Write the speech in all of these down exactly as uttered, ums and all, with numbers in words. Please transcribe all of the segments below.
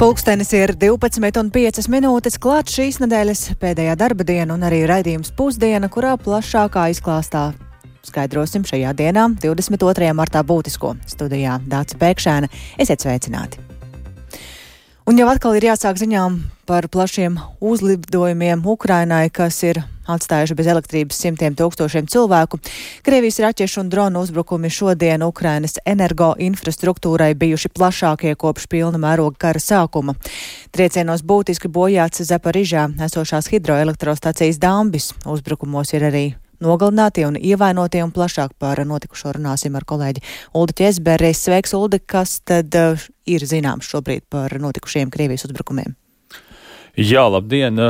Pulkstenis ir divpadsmit un piecas minūtes, klāt šīs nedēļas pēdējā darba diena un arī raidījums pusdiena, kurā plašākā izklāstā skaidrosim šajā dienā, divdesmit otrajā martā būtisko. Studijā Dāca Pēkšēna. Esiet sveicināti! Un jau atkal ir jāsāk ziņām par plašiem uzlidojumiem Ukrainai, kas ir atstājuši bez elektrības simtiem tūkstošiem cilvēku. Krievijas raķešu un dronu uzbrukumi šodien Ukrainas energoinfrastruktūrai bijuši plašākie kopš pilna mēroga kara sākuma. Triecienos būtiski bojāts Zaporižā esošās hidroelektrostacijas dambis. Uzbrukumos ir arī nogalinātie un ievainotie, un plašāk par notikušo runāsim ar kolēģi Uldi Ķesberi. Sveiks, Uldi, kas tad uh, ir zināms šobrīd par notikušajiem Krievijas uzbrukumiem? Jā, labdien!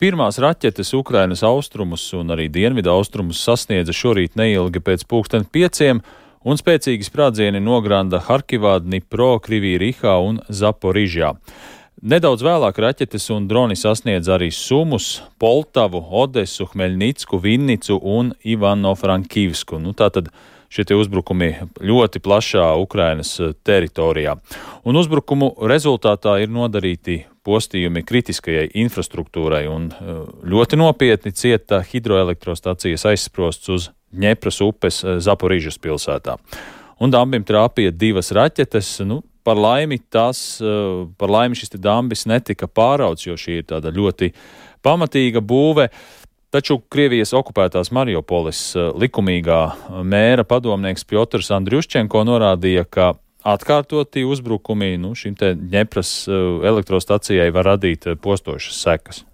Pirmās raķetes Ukrainas austrumus un arī dienvidu austrumus sasniedza šorīt neilgi pēc pulksten pieciem, un spēcīgi sprādzieni nogranda Harkivā, Dnipro, Krivī-Rihā un Zaporižā. Nedaudz vēlāk raķetes un droni sasniedz arī Sumus, Poltavu, Odesu, Hmeļnicku, Vinnicu un Ivano-Frankivsku. Nu, tātad šie tie uzbrukumi ļoti plašā Ukrainas teritorijā. Un uzbrukumu rezultātā ir nodarīti postījumi kritiskajai infrastruktūrai, un ļoti nopietni cieta hidroelektrostacijas aizsprosts uz Dņepras upes Zaporižas pilsētā. Un dambim trāpīja divas raķetes. Nu, par laimi tās, par laimi šis te dambis netika pārauts, jo šī ir tāda ļoti pamatīga būve. Taču Krievijas okupētās Mariupolis likumīgā mēra padomnieks Pjotrs Andriuščenko norādīja, ka atkārtoti uzbrukumi nu, šim te Dņepras elektrostacijai var radīt postošas sekas.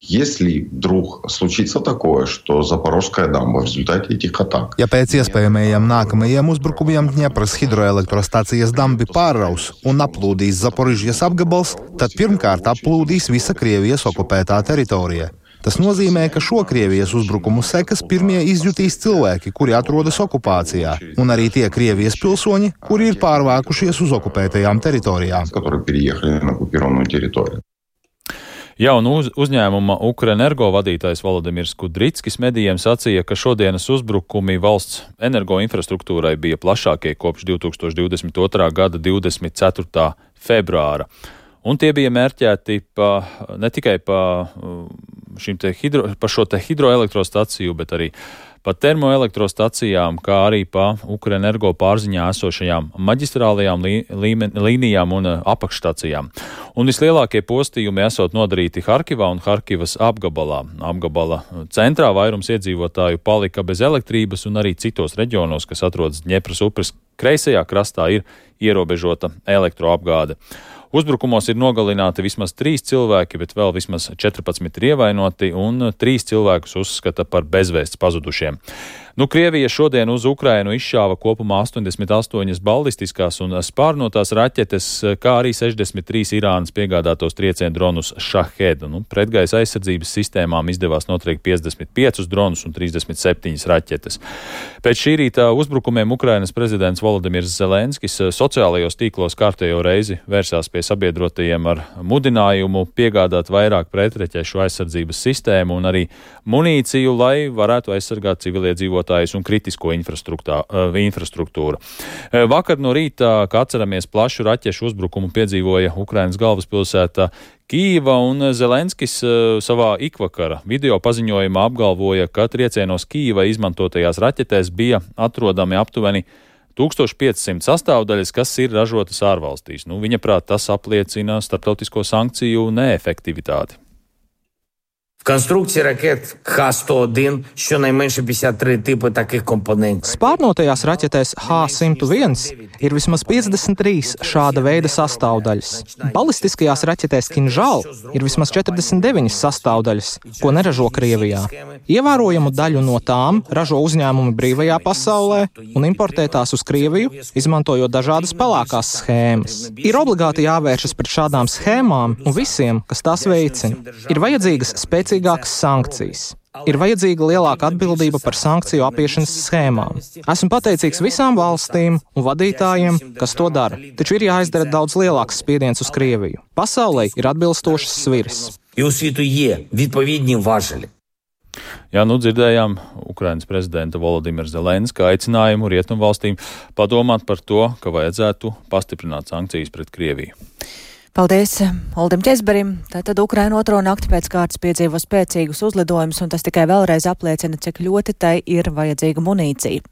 Если вдруг случится такое, что Запорожская дамба в результате этих атак... Ja pēc iespējamajiem nākamajiem uzbrukumiem Dņepras hidroelektrostacijas dambi pārraus un aplūdīs Zaporižjas apgabals, tad pirmkārt aplūdīs visa Krievijas okupētā teritorija. Tas nozīmē, ka šo Krievijas uzbrukumu sekas pirmie izjutīs cilvēki, kuri atrodas okupācijā, un arī tie Krievijas pilsoņi, kuri ir pārvākušies uz okupētajām teritorijām. Jā, un uz, uzņēmuma Ukrenergo vadītājs Volodimirs Kudrickis medijiem sacīja, ka šodienas uzbrukumi valsts energoinfrastruktūrai bija plašākie kopš divi tūkstoši divdesmit otrā gada divdesmit ceturtā februāra. Un tie bija mērķēti pa, ne tikai pa, šim te hidro, pa šo te hidroelektrostaciju, bet arī pa termoelektrostacijām, kā arī pa Ukrenergo pārziņā esošajām maģistrālajām lī, līmen, līnijām un apakšstacijām. Un vislielākie postījumi esot nodarīti Harkivā un Harkivas apgabalā. Apgabala centrā vairums iedzīvotāju palika bez elektrības, un arī citos reģionos, kas atrodas Dņepras upes kreisajā krastā, ir ierobežota elektroapgāde. Uzbrukumos ir nogalināti vismaz trīs cilvēki, bet vēl vismaz četrpadsmit ir ievainoti, un trīs cilvēkus uzskata par bezvēsts pazudušiem. Nu, Krievija šodien uz Ukrainu izšāva kopumā astoņdesmit astoņas ballistiskās un spārnotās raķetes, kā arī sešdesmit trīs Irānas piegādātos triecienu dronus Shahed. Nu, pretgaisa aizsardzības sistēmām izdevās notriekt piecdesmit piecus dronus un trīsdesmit septiņas raķetes. Pēc šī rīta uzbrukumiem Ukrainas prezidents Volodimirs Zelenskis sociālajos tīklos kārtējo reizi vērsās pie sabiedrotajiem ar mudinājumu piegādāt vairāk pretreķešu aizsardzības sistēmu un arī munīciju, lai varētu aizsargāt civiliedzīvotājus un kritisko infrastruktūru. Vakar no rīta, kā atceramies, plašu raķešu uzbrukumu piedzīvoja Ukrainas galvaspilsēta Kīva, un Zelenskis savā ikvakara video paziņojumā apgalvoja, ka triecienos Kīva izmantotajās raķetēs bija atrodami aptuveni tūkstoš piecsimt sastāvdaļas, kas ir ražotas ārvalstīs. Nu, viņa prāt, tas apliecina starptautisko sankciju neefektivitāti. В конструкції ракет Х сто один щонайменше п'ятдесят три типи таких компонентів. Spārnotajās raķetēs H simt viens ir vismaz piecdesmit trīs šāda veida sastāvdaļas. Balistiskajās raķetēs Kinžal ir vismaz četrdesmit deviņas sastāvdaļas, ko neražo Krievijā. Ievērojamu daļu no tām ražo uzņēmumi brīvajā pasaulē un importē tās uz Krieviju, izmantojot dažādas pelēkās schēmas. Ir obligāti jāvēršas pret šādām schēmām un visiem, kas tās veicina. Ir vajadzīgas spēcīgas sankcijas. Ir vajadzīga lielāka atbildība par sankciju apiešanas schēmām. Esmu pateicīgs visām valstīm un vadītājiem, kas to dara, taču ir jāizdara daudz lielāks spiediens uz Krieviju. Pasaulē ir atbilstošas sviras. І у світу є відповідні важелі. Jā, nu dzirdējām Ukrainas prezidenta Volodimira Zelenska aicinājumu rietumvalstīm padomāt par to, ka vajadzētu pastiprināt sankcijas pret Krieviju. Paldies Oldim Ķezberim. Tātad Ukraina otro nakti pēc kārtas piedzīvo spēcīgus uzlidojumus, un tas tikai vēlreiz apliecina, cik ļoti tai ir vajadzīga munīcija.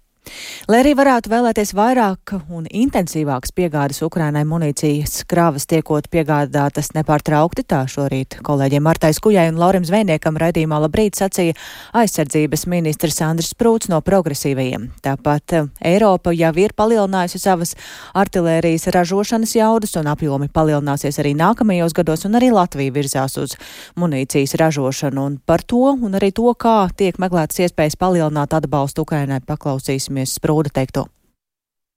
Lai arī varētu vēlēties vairāk un intensīvākas piegādes Ukrainai munīcijas kravas tiekot piegādātas nepārtraukti, tā šorīt kolēģiem Martai Skujai un Laurim Zvejniekam raidījumā Labrīt sacīja aizsardzības ministrs Andris Sprūts no progresīvajiem. Tāpat Eiropa jau ir palielinājusi savas artilērijas ražošanas jaudas un apjomi palielināsies arī nākamajos gados, un arī Latvija virzās uz munīcijas ražošanu. Un par to un arī to, kā tiek meklētas iespējas palielināt atbalstu Ukrainai, paklausīsimies Sprūda teikto.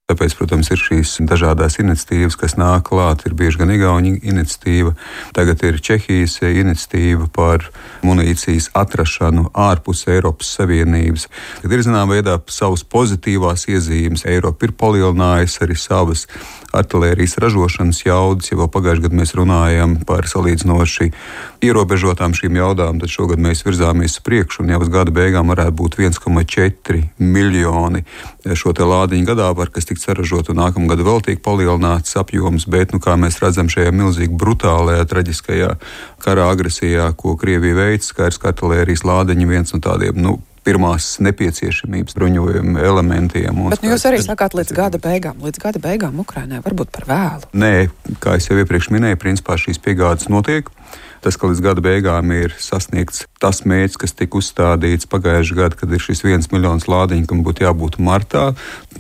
Tāpēc, protams, ir šīs dažādās iniciatīvas, kas nāk klāt. Ir bieži gan Igaunija iniciatīva, tagad ir Čehijas iniciatīva par munīcijas atrašanu ārpus Eiropas Savienības. Kad ir zināmā veidā savas pozitīvās iezīmes, Eiropa ir palielinājusi arī savas artilērijas ražošanas jaudas. Ja vēl pagājušajā gadā mēs runājam par salīdzinoši ierobežotām šīm jaudām, tad šogad mēs virzāmies priekšu, un jau uz gada beigām varētu būt viens komats četri miljoni šo te lādiņu gadā, par kas tiks saražot, un nākamgad vēl tiek palielināts apjoms, bet, nu, kā mēs redzam šajā milzīgi brutālajā, traģiskajā kara agresijā, ko Krievija veic, skaidrs, ka artilērijas lādiņi viens no tādiem, nu, pirmās nepieciešamības bruņojuma elementiem. Bet nu, jūs arī sakāt līdz gada beigām. Līdz gada beigām Ukrainai varbūt par vēlu. Nē, kā es jau iepriekš minēju, principā šīs piegādes notiek. Tas, ka līdz gada beigām ir sasniegts tas mērķis, kas tika uzstādīts pagājušajā gadā, kad ir šis viens miljons lādiņu, kam būtu jābūt martā.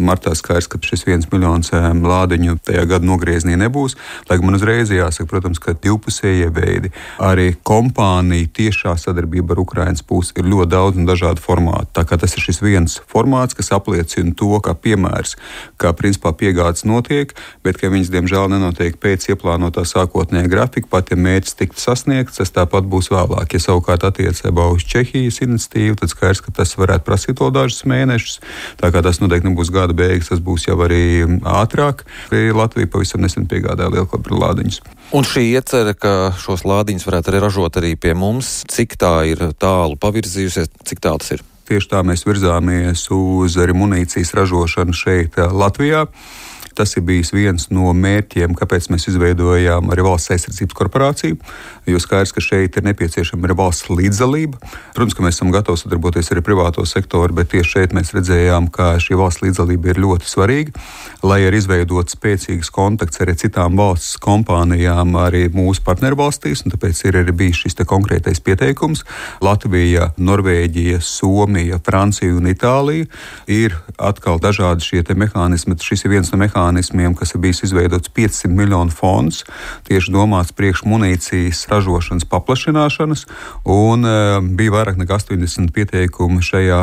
Martā skaidrs, ka šis viens miljons lādiņu tajā gada nogriezienī nebūs. Lai man uzreiz jāsaka, protams, ka divpusējie veidi, arī kompānija tiešā sadarbība ar Ukrainas pusi ir ļoti daudz un dažādu formātu. Tā kā tas ir šis viens formāts, kas apliecina to, kā piemērs, kā principā piegādes notiek, bet ka viņas, diemžēl, nenotiek pēc ieplānotā sākotnējā grafika, pat ja mērķis tiktu sasniegts, tas tāpat būs vēlāk. Ja savukārt attiecībā uz Čehijas iniciatīvu, tad skaidrs, ka tas varētu prasīt vēl dažus mēnešus. Tā kā tas noteikti nebūs gada beigas, tas būs jau arī ātrāk. Latvija pavisam nesen piegādāja lielkalibra lādiņus. Un šī iecerē, ka šos lādiņus varētu arī ražot arī pie mums, cik tā ir tālu pavirzījusies, cik tālu tas ir? Tieši tā mēs virzāmies uz arī munīcijas ražošanu šeit Latvijā. Tas ir bijis viens no mērķiem, kāpēc mēs izveidojām arī valsts aizsardzības korporāciju, jo skaidrs, ka šeit ir nepieciešama arī valsts līdzdalība. Protams, ka mēs esam gatavi sadarboties arī privāto sektoru, bet tieši šeit mēs redzējām, ka šī valsts līdzdalība ir ļoti svarīga, lai arī izveidot spēcīgas kontakts arī citām valsts kompānijām, arī mūsu partnervalstīs, un tāpēc ir arī bijis šis te konkrētais pieteikums. Latvija, Norvēģija, Somija, Francija un Itālija ir atkal dažādi šie te mehānismi. Šis ir viens no mehānismiem, kas ir bijis izveidots piecsimt miljonu fonds, tieši domāts priekš munīcijas ražošanas paplašināšanas, un e, bija vairāk nekā astoņdesmit pieteikumu šajā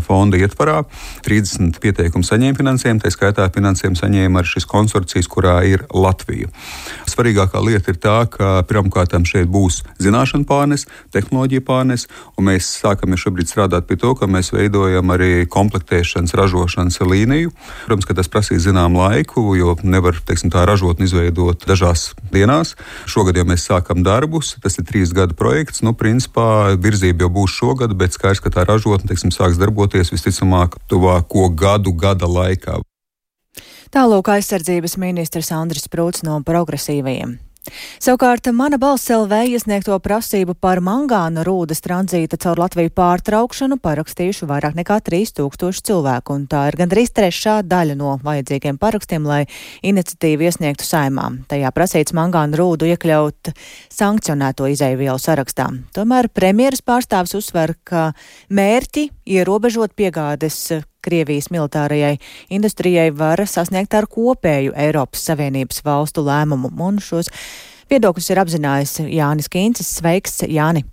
fonda ietvarā. trīsdesmit pieteikumu saņēma finansējumu, tā skaitā finansējumu saņēma arī šis konsorcijs, kurā ir Latvija. Svarīgākā lieta ir tā, ka pirmkārtām šeit būs zināšana pārnes, tehnoloģija pārnes, un mēs sākam šobrīd strādāt pie to, ka mēs veidojam arī komplektēšanas, ražošanas līniju. Protams, ka tas prasīs zinām laiku, jo nevar, teiksim, tā ražotni izveidot dažās dienās. Šogad jau mēs sākam darbus, tas ir trīs gadu projekts. Nu, principā virzība jau būs šogad, bet skaidrs, ka tā ražotne, teiksim, sāks darboties visticamāk tuvāko gadu, gada laikā. Tālūk aizsardzības ministrs Andris Sprūts no progresīvajiem. Savukārt Mana balss L V iesniegto prasību par mangāna rūdas tranzīta caur Latviju pārtraukšanu parakstījuši vairāk nekā trīs tūkstoši cilvēku, un tā ir gandrīz trešā daļa no vajadzīgiem parakstiem, lai iniciatīvu iesniegtu Saeimā. Tajā prasīts mangāna rūdu iekļaut sankcionēto izēvielu sarakstā. Tomēr premjeras pārstāvis uzsver, ka mērķi ierobežot piegādes Krievijas militārajai industrijai var sasniegt ar kopēju Eiropas Savienības valstu lēmumu, un šos viedokļus ir apzinājis Jānis Kīncis. Sveiks, Jāni!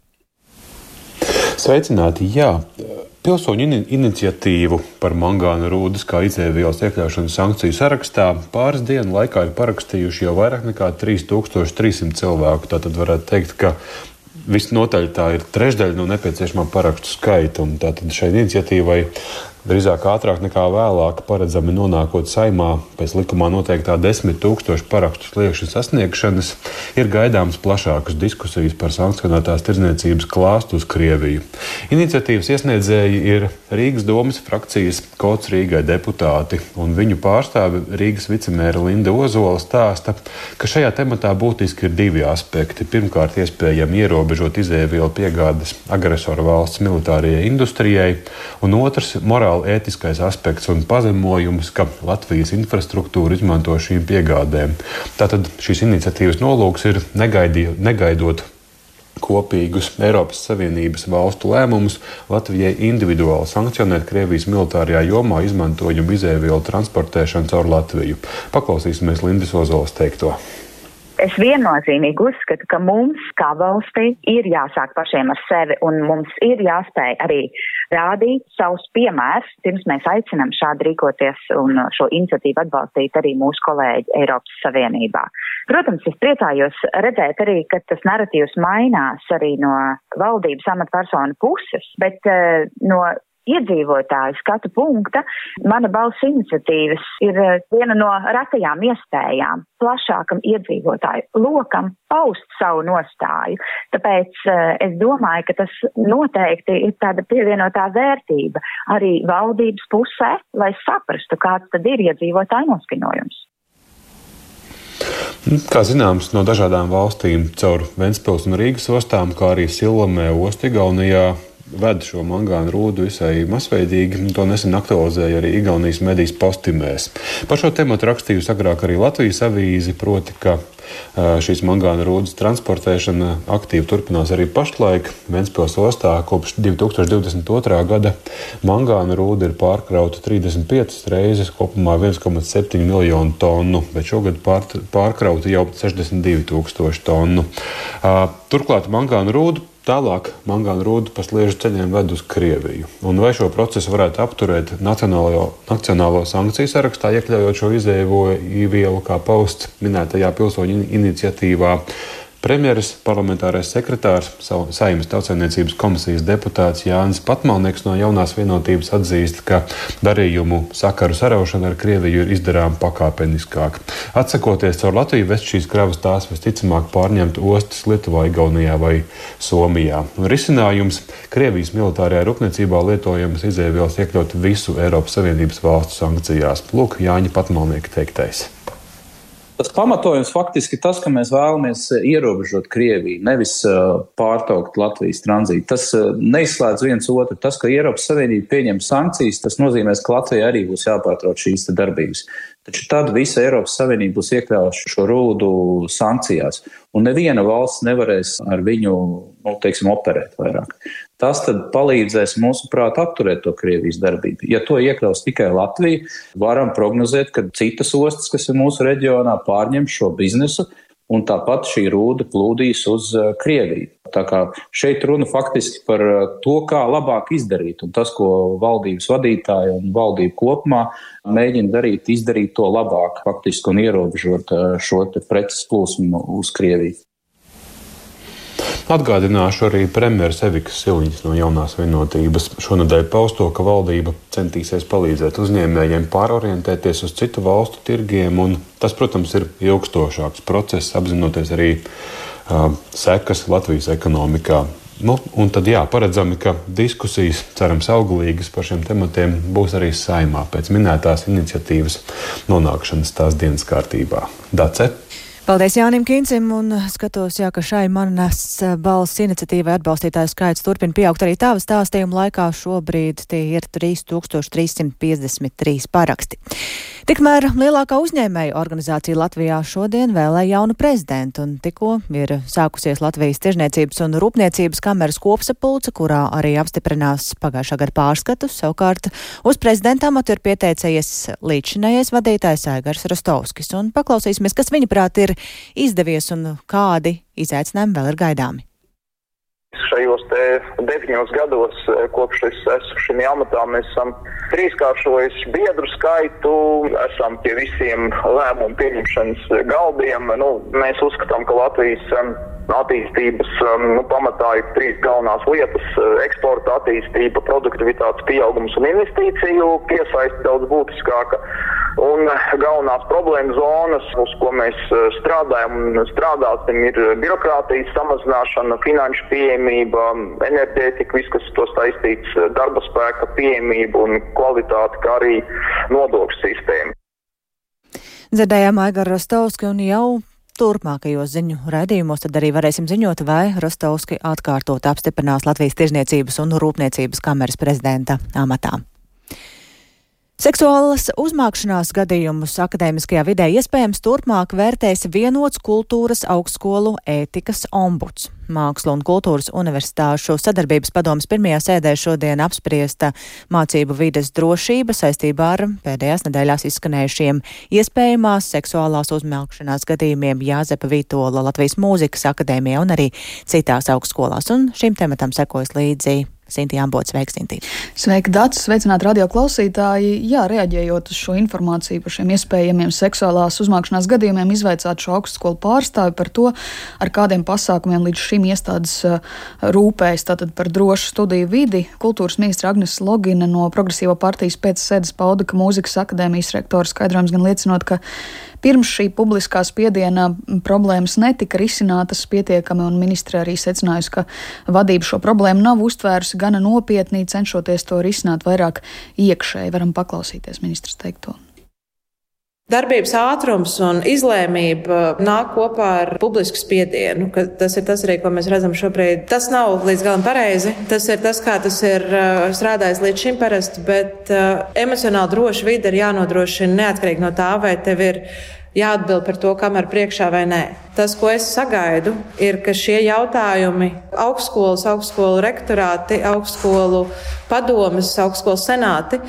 Sveicināti, jā. Pilsoņu in iniciatīvu par mangāna rūdas kā izēvielas iekļaušanu sankciju sarakstā pāris dienu laikā ir parakstījuši jau vairāk nekā trīs tūkstoši trīs simti cilvēku. Tātad varētu teikt, ka visnotaļ tā ir trešdaļa no nepieciešamā parakstu skaita, un tātad šai iniciatīvai drīzāk ātrāk nekā vēlāk, paredzami nonākot Saimā pēc likumā noteiktā desmit tūkstošu parakstu sliekšņa sasniegšanas, ir gaidāmas plašākas diskusijas par sankcionētās tirdzniecības klāstu uz Krieviju. Iniciatīvas iesniedzēji ir Rīgas domas frakcijas Kods Rīgai deputāti, un viņu pārstāve Rīgas vicemēra Linda Ozola stāsta, ka šajā tematā būtiski ir divi aspekti. Pirmkārt, iespējami ierobežot izēvielu piegādes agresoru valsts militārajai industrijai, un otrs - morāli ētiskais aspekts un pazemojums, ka Latvijas infrastruktūra izmanto šīm piegādēm. Tātad šīs iniciatīvas nolūks ir negaidi, negaidot kopīgus Eiropas Savienības valstu lēmumus Latvijai individuāli sankcionēt Krievijas militārajā jomā izmantojumu izēvielu transportēšanu caur Latviju. Paklausīsimies Lindas Ozolas teikto. Es viennozīmīgi uzskatu, ka mums, kā valstī, ir jāsāk pašiem ar sevi, un mums ir jāspēj arī rādīt savus piemērus, pirms mēs aicinām šādi rīkoties un šo iniciatīvu atbalstīt arī mūsu kolēģi Eiropas Savienībā. Protams, es priecājos redzēt arī, ka tas naratīvs mainās arī no valdības amatpersonu puses, bet uh, no iedzīvotāju skatu punkta mana balss iniciatīvas ir viena no retajām iespējām plašākam iedzīvotāju lokam paust savu nostāju. Tāpēc es domāju, ka tas noteikti ir tāda pievienotā vērtība arī valdības pusē, lai saprastu, kāds tad ir iedzīvotāju noskaņojums. Kā zināms, no dažādām valstīm caur Ventspils un Rīgas ostām, kā arī Silomē ostu Igaunijā, ved šo mangānu rūdu visai masveidīgi, to nesen aktualizēja arī Igaunijas medijas Postimēs. Par šo tematu rakstījusi agrāk arī Latvijas avīze, proti, ka šīs mangāna rūdas transportēšana aktīvi turpinās arī pašlaik. Ventspils ostā kopš divi tūkstoši divdesmit otrā gada mangāna rūda ir pārkrauta trīsdesmit piecas reizes, kopumā viens komats septiņi miljonu tonu, bet šogad pār, pārkrauta jau sešdesmit divi tūkstoši tonu. Turklāt mangāna rūdu Tālāk mangāna rūdu pa sliežu ceļiem ved uz Krieviju. Un vai šo procesu varētu apturēt nacionālo, nacionālo sankciju sarakstā, iekļaujot šo izēvielu kā pausts minētajā pilsoņu iniciatīvā? Premjeras parlamentārais sekretārs, Saeimas Tautsaimniecības komisijas deputāts Jānis Patmalnieks no Jaunās vienotības atzīst, ka darījumu sakaru saraušana ar Krieviju ir izdarām pakāpeniskāk. Atsakoties caur Latviju vest šīs kravas, tās visticamāk pārņemt ostas Lietuvā, Igaunijā vai Somijā. Un risinājums - Krievijas militārajā rūpniecībā lietojamas izēvielas iekļaut visu Eiropas Savienības valstu sankcijās. Lūk, Jāņa Patmalnieka teiktais. Tas pamatojums faktiski tas, ka mēs vēlamies ierobežot Krieviju, nevis uh, pārtraukt Latvijas tranzītu. Tas uh, neizslēdz viens otru. Tas, ka Eiropas Savienība pieņem sankcijas, tas nozīmēs, ka Latvijai arī būs jāpārtrauc šīs darbības. Taču tad visa Eiropas Savienība būs iekļaujuši šo rūdu sankcijās, un neviena valsts nevarēs ar viņu, nu, teiksim, operēt vairāk. Tas tad palīdzēs, mūsuprāt, apturēt to Krievijas darbību. Ja to iekļaus tikai Latvija, varam prognozēt, ka citas ostas, kas ir mūsu reģionā, pārņem šo biznesu, un tāpat šī rūda plūdīs uz Krieviju. Tā kā šeit runa faktiski par to, kā labāk izdarīt, un tas, ko valdības vadītāji un valdība kopumā mēģina darīt, izdarīt to labāk faktiski un ierobežot šo te preces plūsmu uz Krieviju. Atgādināšu arī premjeras Evikas Siliņas no Jaunās vienotības šonedēļ pausto, ka valdība centīsies palīdzēt uzņēmējiem pārorientēties uz citu valstu tirgiem, un tas, protams, ir ilgstošāks process, apzinoties arī uh, sekas Latvijas ekonomikā. Nu, un tad jā, paredzami, ka diskusijas, cerams, auglīgas par šiem tematiem būs arī Saeimā pēc minētās iniciatīvas nonākšanas tās dienas kārtībā. Dace? Paldies Jānim Kincim, un skatos, jā, ka šai manas balss iniciatīvai atbalstītāju skaits turpina pieaugt arī tava stāstījuma laikā. Šobrīd tie ir trīs tūkstoši trīs simti piecdesmit trīs paraksti. Tikmēr lielākā uzņēmēju organizācija Latvijā šodien vēlēja jaunu prezidentu, un tikko ir sākusies Latvijas Tirzniecības un Rūpniecības kameras kopsapulce, kurā arī apstiprinās pagājušā gada pārskatus. Savukārt uz prezidenta amatu ir pieteicies līdzšinējais vadītājs Aigars Rostovskis, un paklausīsimies, kas viņaprāt ir izdevies un kādi izaicinājumi vēl ir gaidāmi. Šajos te deviņos gados, kopš es esmu šim amatā, mēs esam trīskāršojuši biedru skaitu, esam pie visiem lēmumu pieņemšanas galdiem. Nu, mēs uzskatām, ka Latvijas attīstības nu, pamatā ir trīs galvenās lietas - eksporta attīstība, produktivitātes pieaugums un investīciju piesaisti daudz būtiskāka. Un galvenās problēma zonas, uz ko mēs strādājam un strādāsim, ir birokrātijas samazināšana, finanšu pieejamība, enerģētika, viss, kas to saistīts, darba spēka pieejamība un kvalitāte, kā arī nodokļu sistēma. Dzirdējām Aigaru Rostovski un jau turpmākajos ziņu raidījumos tad arī varēsim ziņot, vai Rostovski atkārtot apstiprinās Latvijas Tirzniecības un Rūpniecības kameras prezidenta amatā. Seksuālas uzmākšanās gadījumus akadēmiskajā vidē iespējams turpmāk vērtēs vienots kultūras augstskolu ētikas ombuds. Mākslu un kultūras universitāšu sadarbības padomes pirmajā sēdē šodien apspriesta mācību vides drošība saistībā ar pēdējās nedēļās izskanējušiem iespējamās seksuālās uzmākšanās gadījumiem Jāzepa Vītola Latvijas Mūzikas akadēmijā un arī citās augstskolās. Un šim tematam sekojas līdzi Sintīna Ambote. Sveika, Sintīna. Sveika, Dats. Sveicināt radio klausītāji. Jā, reaģējot uz šo informāciju par šiem iespējamiem seksuālās uzmākšanās gadījumiem, izvaicāt šo augstskolu pārstāvi par to, ar kādiem pasākumiem līdz šim iestādes rūpējas tātad par drošu studiju vidi. Kultūras ministra Agnes Logina no Progresīvo partijas pēc sēdes pauda, ka Mūzikas akadēmijas rektora skaidrojums gan liecinot, ka pirms šī publiskā spiediena problēmas netika risinātas pietiekami, un ministre arī secinājusi, ka vadība šo problēmu nav uztvērusi gana nopietnī, cenšoties to risināt vairāk iekšēji. Varam paklausīties ministras teikto. Darbības ātrums un izlēmība nāk kopā ar publisku spiedienu, ka tas ir tas arī, ko mēs redzam šobrīd. Tas nav līdz galam pareizi, tas ir tas, kā tas ir strādājis līdz šim parasti, bet uh, emocionāli droša vide ir jānodrošina neatkarīgi no tā, vai tev ir jāatbild par to, kam ar priekšā vai nē. Tas, ko es sagaidu, ir, ka šie jautājumi augstskolas, augstskolu rektorāti, augstskolu padomes, augstskolu senāti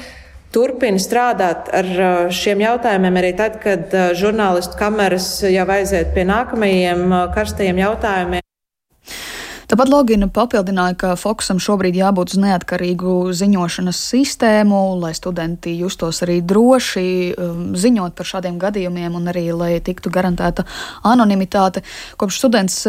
turpina strādāt ar šiem jautājumiem arī tad, kad žurnālistu kameras jau aiziet pie nākamajiem karstajiem jautājumiem. Tāpat Logina papildināja, ka fokusam šobrīd jābūt uz neatkarīgu ziņošanas sistēmu, lai studenti justos arī droši ziņot par šādiem gadījumiem un arī, lai tiktu garantēta anonimitāte. Kopš students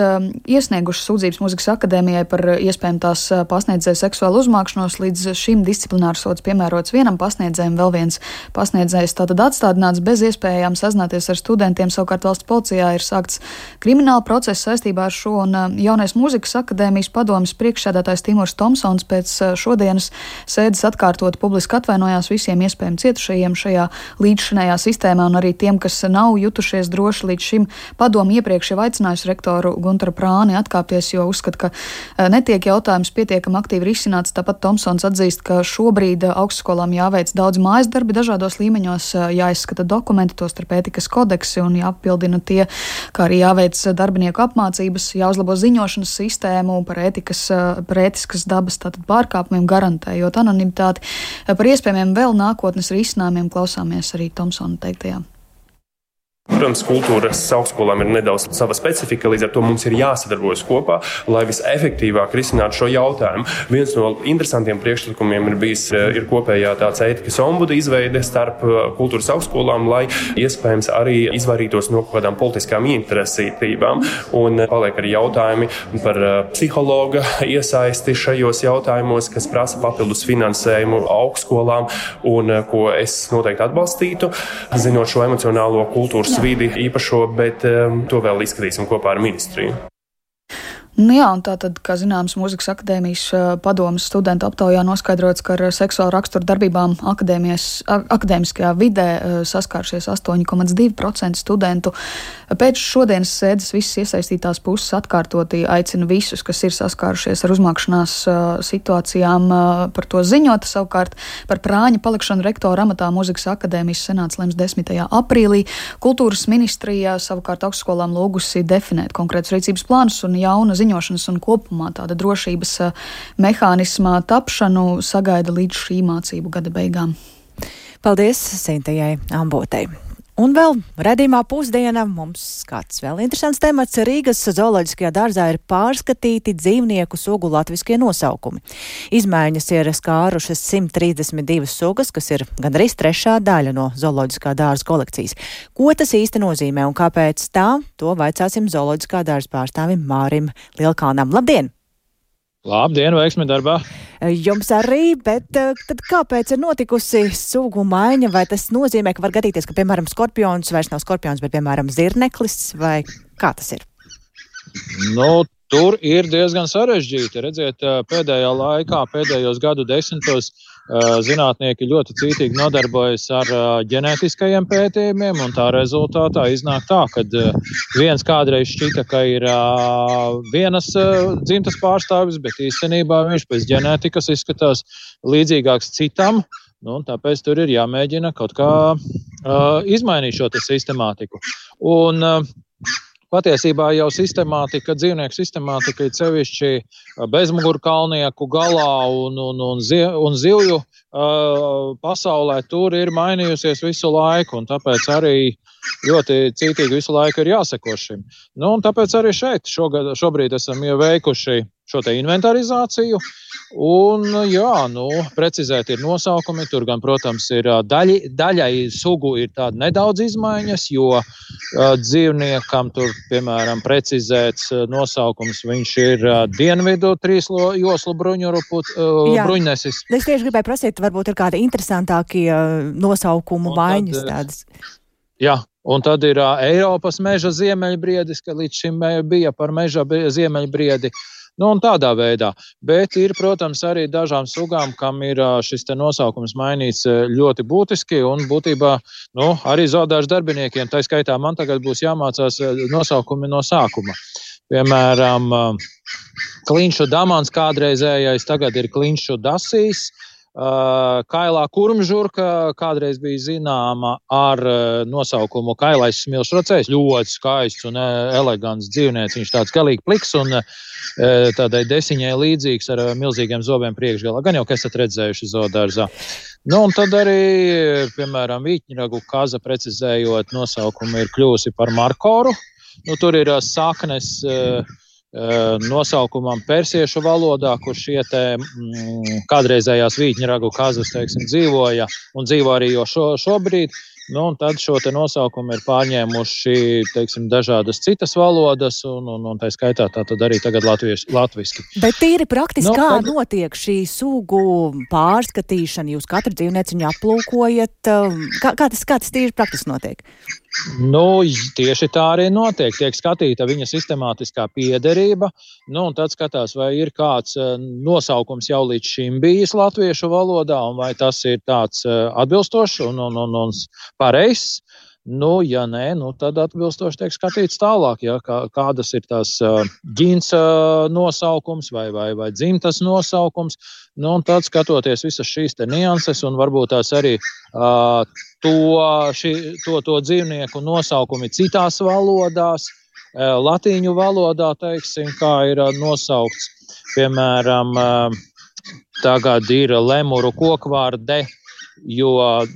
iesnieguši sūdzības Mūzikas akadēmijai par iespējām tās pasniedzēju seksuālu uzmākšanos, līdz šim disciplinārs sods piemērots vienam pasniedzējam, vēl viens pasniedzējs tātad atstādināts bez iespējām sazināties ar studentiem. Savukārt valsts policijā ir sākts krimināla procesa saistībā ar šo, un jaunais Mūzikas akadēmijas padomes priekšsēdētājs Timurs Tomsons pēc šodienas sēdes atkārtot publiski atvainojās visiem iespējami cietušajiem šajā līdzšinējā sistēmā un arī tiem, kas nav jutušies droši līdz šim. Padomu iepriekš jau aicinājusi rektoru Guntaru Prāni atkāpties, jo uzskata, ka netiek jautājums pietiekami aktīvi risināts. Tāpat Tomsons atzīst, ka šobrīd augstskolām jāveic daudz mājas darbi dažādos līmeņos, jāizskata dokumenti, tostarp ētikas kodeksi un jāapildina tie, kā arī jāveic darbinieku apmācības, jāuzlabo ziņošanas sistēmu par ētikas, par ētiskas dabas tātad pārkāpumiem, garantējot anonimitāti. Par iespējamiem vēl nākotnes risinājumiem klausāmies arī Tomsona teiktajā. Protams, kultūras augstskolām ir nedaudz sava specifika, līdz ar to mums ir jāsadarbojas kopā, lai visefektīvāk risinātu šo jautājumu. Viens no interesantiem priekšlikumiem ir bijis ir kopējā tāds ētikas ombuda izveide starp kultūras augstskolām, lai iespējams arī izvairītos no kādām politiskām interesētībām. Un paliek arī jautājumi par psihologa iesaisti šajos jautājumos, kas prasa papildus finansējumu augstskolām un ko es noteikti atbalstītu, zinot šo emocionālo kultūras vidi īpašo, bet um, to vēl izskatīsim kopā ar ministriju. Nu jā, un tātad, kā zināms, Mūzikas akadēmijas padomes studentu aptaujā noskaidrots, ka ar seksuālu raksturu darbībām akadēmiskajā vidē saskāršies astoņi komats divi procenti studentu. Pēc šodienas sēdes visas iesaistītās puses atkārtoti aicina visus, kas ir saskārušies ar uzmākšanās situācijām, par to ziņot. Savukārt par Prāņa palikšanu rektora amatā Mūzikas akadēmijas senāts lems desmitajā aprīlī. Kultūras ministrijā savukārt augstskolām lūgusi definēt konkrētus rīcības plānus un jauna ziņošanas un kopumā tāda drošības mehānismā tapšanu sagaida līdz šī mācību gada beigām. Paldies Sintījai Ambotei. Un vēl redzījumā pusdiena mums kāds vēl interesants temats. Rīgas zooloģiskajā dārzā ir pārskatīti dzīvnieku sugu latviskie nosaukumi. Izmaiņas ir skārušas simt trīsdesmit divas sugas, kas ir gandrīz trešā daļa no zooloģiskā dārza kolekcijas. Ko tas īsti nozīmē un kāpēc tā? To vaicāsim zooloģiskā dārza pārstāvim Mārim Lielkalnam. Labdien! Labdien, veiksmi darbā! Jums arī, bet tad kāpēc ir notikusi sugu maiņa? Vai tas nozīmē, ka var gadīties, ka, piemēram, skorpions vairs nav skorpions, bet, piemēram, zirneklis, vai kā tas ir? Nu, tur ir diezgan sarežģīti. Redziet, pēdējā laikā, pēdējos gadu desmitos zinātnieki ļoti cītīgi nodarbojas ar ģenētiskajiem pētījumiem, un tā rezultātā iznāk tā, ka viens kādreiz šķita, ka ir vienas dzimtas pārstāvis, bet īstenībā viņš pēc ģenētikas izskatās līdzīgāks citam, nu, un tāpēc tur ir jāmēģina kaut kā izmainīt šo te sistemātiku. Un patiesībā jau sistemātika, dzīvnieku sistemātika ir sevišķi bezmugurkalnieku galā un, un, un, zi, un zivju uh, pasaulē tur ir mainījusies visu laiku, un tāpēc arī ļoti cītīgi visu laiku ir jāseko šim. Nu, un tāpēc arī šeit šogad, šobrīd esam jau veikuši šo te inventarizāciju, un jā, nu, precizēt ir nosaukumi, tur gan, protams, ir daļi, daļai sugu ir tāda nedaudz izmaiņas, jo uh, dzīvniekam tur, piemēram, precizēts uh, nosaukums, viņš ir uh, dienvidu trīslo joslu bruņuruput, uh, bruņnesis. Es tieši gribēju prasīt, varbūt ir kādi interesantākie uh, nosaukumu maiņas tādas. Jā. Un tad ir uh, Eiropas meža ziemeļbriedis, ka līdz šim bija par meža ziemeļbriedi. Nu, un tādā veidā. Bet ir, protams, arī dažām sugām, kam ir šis te nosaukums mainīts ļoti būtiski, un būtībā, nu, arī zoodārza darbiniekiem, tā skaitā man tagad būs jāmācās nosaukumi no sākuma. Piemēram, klinšu damans kādreizējais, tagad ir klinšu dasīs. Uh, kailā kurmžurka kādreiz bija zināma ar uh, nosaukumu kailais smilšracējs, ļoti skaists un uh, elegants dzīvnieks, viņš tāds galīgi pliks un uh, tādai desiņai līdzīgs ar uh, milzīgiem zobiem priekšgalā, gan jau, ka esat redzējuši zoodārzā. Nu, un tad arī, piemēram, vītņragu kaza precizējot nosaukumu ir kļūsi par markoru, nu, tur ir uh, saknes uh, nosaukumam persiešu valodā, kur šie te mm, kādreizējās vītņragu kazas, teiksim, dzīvoja un dzīvo arī jo šo, šobrīd. Nu, un tad šo te nosaukumu ir pārņēmuši, teiksim, dažādas citas valodas, un, un, un tā skaitā tā tad arī tagad latvieši, latviski. Bet tīri praktiski, nu, kā tad... notiek šī sugu pārskatīšana? Jūs katru dzīvnieciņu aplūkojat? Kā, kā, tas, kā tas tīri praktiski notiek? Nu, tieši tā arī notiek. Tiek skatīta viņa sistemātiskā piederība, nu, un tad skatās, vai ir kāds nosaukums jau līdz šim bijis latviešu valodā, un vai tas ir tāds atbilstošs un, un, un, un pareizs. Nu, ja nē, nu, tad atbilstoši tiek skatīts tālāk, ja, kā, kādas ir tās uh, ģins uh, nosaukums vai, vai, vai dzimtas nosaukums. Nu, un tad skatoties visas šīs te nianses un varbūt tās arī uh, to, šī, to, to dzīvnieku nosaukumi citās valodās, uh, latīņu valodā, teiksim, kā ir uh, nosaukts. Piemēram, uh, tagad ir lemuru kokvārde, jo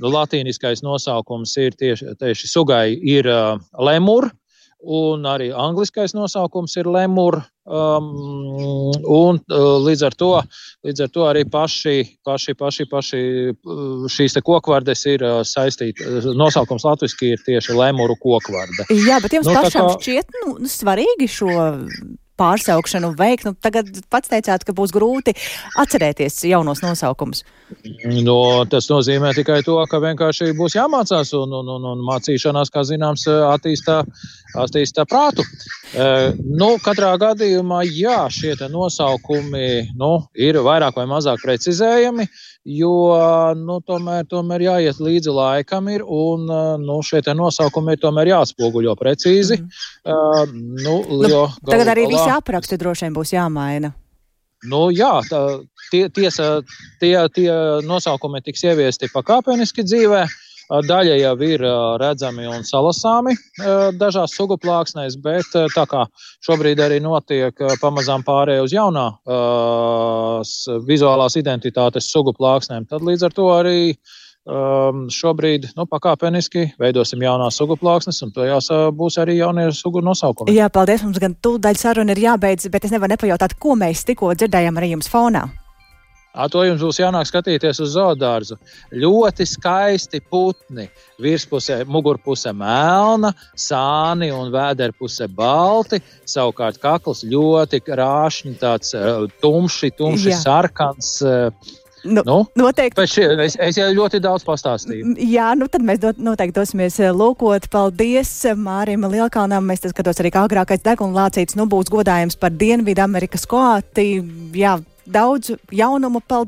latīniskais nosaukums ir tieši, tieši sugai ir uh, lemur, un arī angliskais nosaukums ir lemur, um, un uh, līdz ar to, līdz ar to arī paši, paši, paši, paši šīs te kokvardes ir uh, saistīti, nosaukums latviski ir tieši lemuru kokvarde. Jā, bet jums nu, pašām kā... šķiet, nu, svarīgi šo pārsaukšanu veikt, nu tagad pats teicāt, ka būs grūti atcerēties jaunos nosaukumus. No, tas nozīmē tikai to, ka vienkārši būs jāmācās un, un, un, un mācīšanās, kā zināms, attīstā, attīstā prātu. E, nu, katrā gadījumā, jā, šie te nosaukumi, nu, ir vairāk vai mazāk precizējami, jo, nu, tomēr, tomēr jāiet līdzi laikam ir un, nu, šie te nosaukumi ir tomēr jāatspoguļo precīzi. Mm. E, nu, jo, nu, tagad arī visi apraksti droši vien būs jāmaina. Nu, jā, tā, tie, tiesa, tie, tie nosaukumi tiks ieviesti pakāpeniski dzīvē. Daļa jau ir redzami un salasāmi dažās sugu plāksnēs, bet tā kā šobrīd arī notiek pamazām pārēj uz jaunā uh, vizuālās identitātes sugu plāksnēm, tad līdz ar to arī um, šobrīd nu, pakāpeniski veidosim jaunās sugu plāksnes, un tajās uh, būs arī jaunie sugu nosaukumi. Jā, paldies, mums gan tūdaļ saruna ir jābeidz, bet es nevaru nepajautāt, ko mēs tikko dzirdējām arī jums fonā. À, to jums būs jānāk skatīties uz zoodārzu. Ļoti skaisti putni. Virspusē, mugurpusē melna, sāni un vēderpusē balti. Savukārt kakls ļoti krāšņi, tāds uh, tumši, tumši Jā. sarkans. Uh, nu, nu, noteikti. Šie, es, es jau ļoti daudz pastāstīju. Jā, nu tad mēs dot, noteikti dosimies lūkot. Paldies Mārim Lielkalnam. Mēs tas skatos arī, kā agrākais degunlācīts nu būs godājums par Dienvidu Amerikas koāti. Jā, daudz jaunumu. Paldies!